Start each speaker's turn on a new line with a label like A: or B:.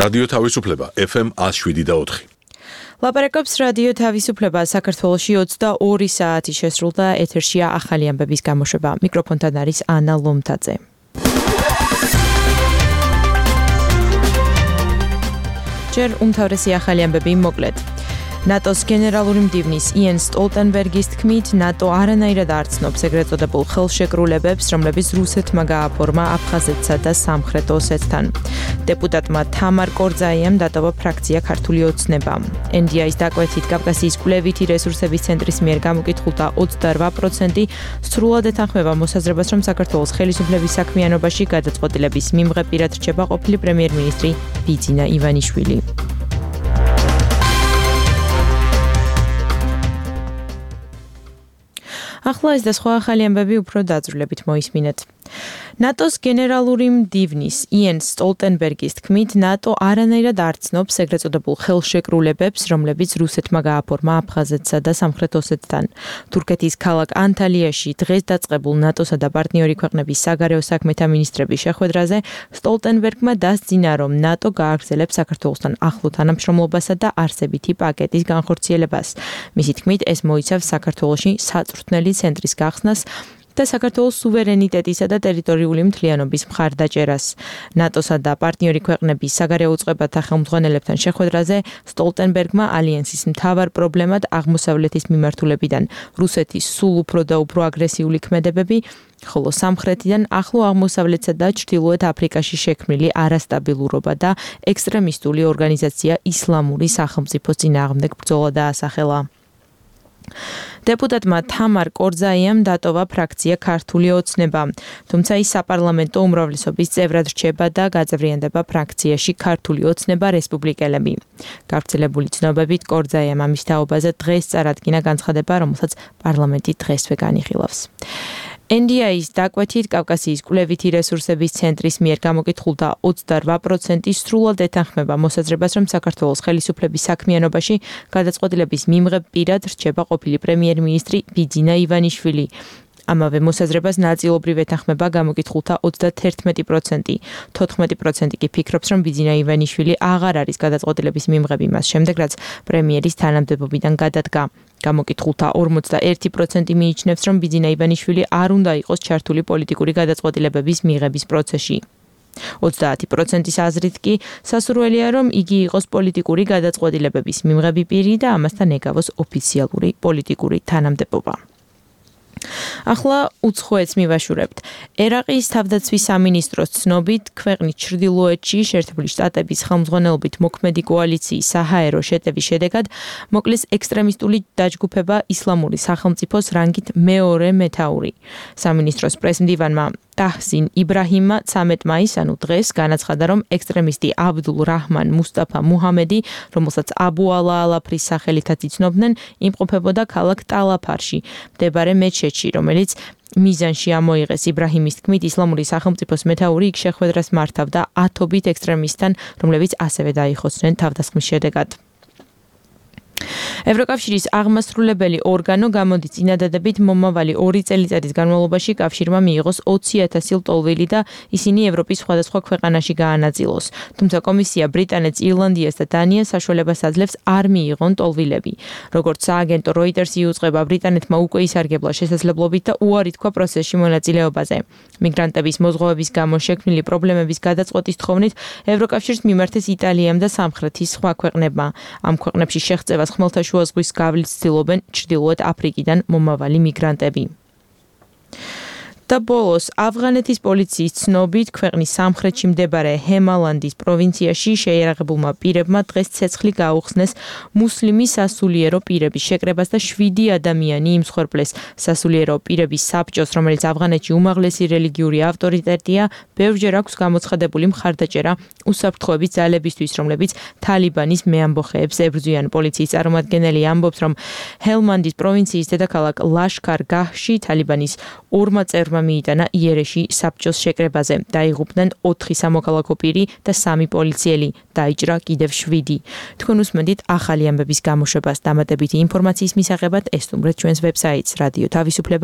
A: რადიო თავისუფლება FM 107.4.
B: ლაპარაკობს რადიო თავისუფლება საქართველოში 22 საათი შესრულდა ეთერშია ახალი ამბების გამოშვება. მიკროფონთან არის ანა ლომთაძე. ჯერ უმთავრესი ახალი ამბები მოკლედ. ნატოს გენერალური მდივნის იენ სტოლტენბერგის თქმით, ნატო არანაირად არ ცნობს ეგრეთ წოდებულ ხელშეკრულებებს, რომლებიც რუსეთმა გააფორმა აფხაზეთსა და სამხრეთ ოსეთთან. დეპუტატმა თამარ კორძაიამ დატოვა ფრაქცია ქართული ოცნება. NDI-ის დაკვეთით კავკასიის კვლევითი რესურსების ცენტრის მიერ გამოკითხულთა 28% სრულად ეთანხმება მოსაზრებას, რომ საქართველოს ხელისუფლების საქმიანობაში გადაწყვეტილების მიმღებ პირად რჩება ყოფილი პრემიერ-მინისტრი ბიძინა ივანიშვილი. ახლა ეს და სხვა ახალი ამბები უფრო დაძრულებით მოისმინეთ. ნატოს გენერალური მდივნის იენ სტოლტენბერგის თქმით, ნატო არანაირად არ ცნობს ეგრეთ წოდებულ ხელშეკრულებებს, რომლებიც რუსეთმა გააფორმა აფხაზეთსა და სამხრეთ ოსეთთან. თურქეთის ქალაქ ანტალიაში დღეს დაწყებულ ნატოსა და პარტნიორი ქვეყნების საგარეო საქმეთა მინისტრების შეხვედრაზე სტოლტენბერგმა დასძინა, რომ ნატო გააგრძელებს საქართველოსთან ახლო თანამშრომლობასა და არსებითი პაკეტის განხორციელებას. მისი თქმით, ეს მოიცავს საქართველოში საწვრთნელი ცენტრის გახსნას და საქართველოს სუვერენიტეტისა და ტერიტორიული მთლიანობის მხარდაჭერას. ნატოსა და პარტნიორი ქვეყნების საგარეო უწყებათა ხელმძღვანელებთან შეხვედრაზე სტოლტენბერგმა ალიანსის მთავარ პრობლემად აღმოსავლეთის მიმართულებიდან რუსეთის სულ უფრო და უფრო აგრესიული ქმედებები, ხოლო სამხრეთიდან ახლო აღმოსავლეთსა და ჩრდილოეთ აფრიკაში შექმნილი არასტაბილურობა და ექსტრემისტული ორგანიზაცია ისლამური სახელმწიფოს წინააღმდეგ ბრძოლა დაასახელა. დეპუტატმა თამარ კორძაიამ დატოვა ფრაქცია ქართული ოცნება, თუმცა ის საპარლამენტო უმრავლესობის წევრად რჩება და გაძევრიანდება ფრაქციაში ქართული ოცნება რესპუბლიკელები. გავრცელებული ცნობებით კორძაიამ ამის თაობაზე დღეს წარადგინა განცხადება, რომელსაც პარლამენტი დღესვე განიხილავს. NDI-ის დაკვეთით კავკასიის კვლევითი რესურსების ცენტრის მიერ გამოკითხულთა 28% სრულად ეთანხმება მოსაზრებას, რომ საქართველოს ხელისუფლების საქმიანობაში გადაწყვეტილების მიმღებ პირად რჩება ყოფილი პრემიერ-მინისტრი ბიძინა ივანიშვილი. ამავე მოსაზრებას ნაწილობრივ ეთანხმება გამოკითხულთა 31%. 14% კი ფიქრობს, რომ ბიძინა ივანიშვილი აღარ არის გადაწყვეტილების მიმღები მას შემდეგ, რაც პრემიერის თანამდებობიდან გადადგა. გამოკითხულთა 41% მიიჩნევს, რომ ბიძინა ივანიშვილი არ უნდა იყოს ჩართული პოლიტიკური გადაწყვეტილებების მიღების პროცესში. 30%-ის აზრით კი სასურველია, რომ იგი იყოს პოლიტიკური გადაწყვეტილებების მიმღები პირი და ამასთან ეკავოს ოფიციალური პოლიტიკური თანამდებობა. ახლა უცხოეთს მივაშურებთ. ერაყის თავდაცვის სამინისტროს ცნობით, ქვეყნის ჩრდილოეთში შეერთებული შტატების ხელმძღვანელობით მოქმედი კოალიციის საჰაერო შეტევის შედეგად მოკლეს ექსტრემისტული დაჯგუფება ისლამური სახელმწიფოს რანგით მეორე მეთაური. სამინისტროს პრესმდივანმა ტაჰსინ იბრაჰიმმა 13 მაისს, ანუ დღეს, განაცხადა, რომ ექსტრემისტი აბდულ რაჰმან მუსტაფა მუჰამედი, რომელსაც აბუ ალა ალაფრის სახელითაც იცნობდნენ, იმყოფებოდა ქალაქ ტალაფარში, მდებარე მეჩეთში, რომელიც მიზანში ამოიღეს. იბრაჰიმის თქმით, ისლამური სახელმწიფოს მეთაური იქ შეხვედრას მართავდა ათობით ექსტრემისტთან, რომლებიც ასევე დაიხოცნენ თავდასხმის შედეგად. ევროკავშირის აღმასრულებელი ორგანო გამოდის წინადადებით მომავალი 2 წელიწადის განმავლობაში კავშირმა მიიღოს 20,000 ლტოლვილი და ისინი ევროპის სხვადასხვა ქვეყანაში გაანაწილოს. თუმცა კომისია ბრიტანეთს, ირლანდიას და დანიას საშუალებას აძლევს არ მიიღონ ლტოლვილები. როგორც სააგენტო Reuters იუწყება, ბრიტანეთმა უკვე ისარგებლა შესაძლებლობით და უარი თქვა პროცესში მონაწილეობაზე. მიგრანტების მოზღვავების გამო შექმნილი პრობლემების გადაწყვეტის თხოვნით ევროკავშირს მიმართეს იტალიამ და სამხრეთის სხვა ქვეყნებმა. ამ ქვეყნებში შეღწევას ხმელთაშუა ზღვის გავლით ცდილობენ ჩრდილოეთ აფრიკიდან მომავალი მიგრანტები. და ბოლოს ავღანეთის პოლიციის ცნობით ქვეყნის სამხრეთში მდებარე ჰემალანდის პროვინციაში შეიარაღებულმა პირებმა დღეს ცეცხლი გაუხსნეს მუსლიმი სასულიერო პირების შეკრებას და 7 ადამიანი იმსხვერპლეს. სასულიერო პირების საბჭოს, რომელიც ავღანეთში უმაღლესი რელიგიური ავტორიტეტია, ბევრჯერ აქვს გამოცხადებული მხარდაჭერა უსაფრთხოების ძალებისთვის, რომლებიც თალიბანის მეამბოხეებს ებრძვიან. პოლიციის წარმომადგენელი ამბობს, რომ ჰელმანდის პროვინციის დედაქალაქ ლაშქარ-გაჰში თალიბანის 2 წევრმა მიიტანა იერეში საბჭოს შეკრებაზე. დაიღუპნენ 4 სამოქალაქო პირი და 3 პოლიციელი. დაიჭრა კიდევ 7. თქვენ უსმენთ ახალი ამბების გამოშვებას. დამატებითი ინფორმაციის მისაღებად ესტუმრეთ ჩვენს ვებსაიტს რადიო თავისუფლება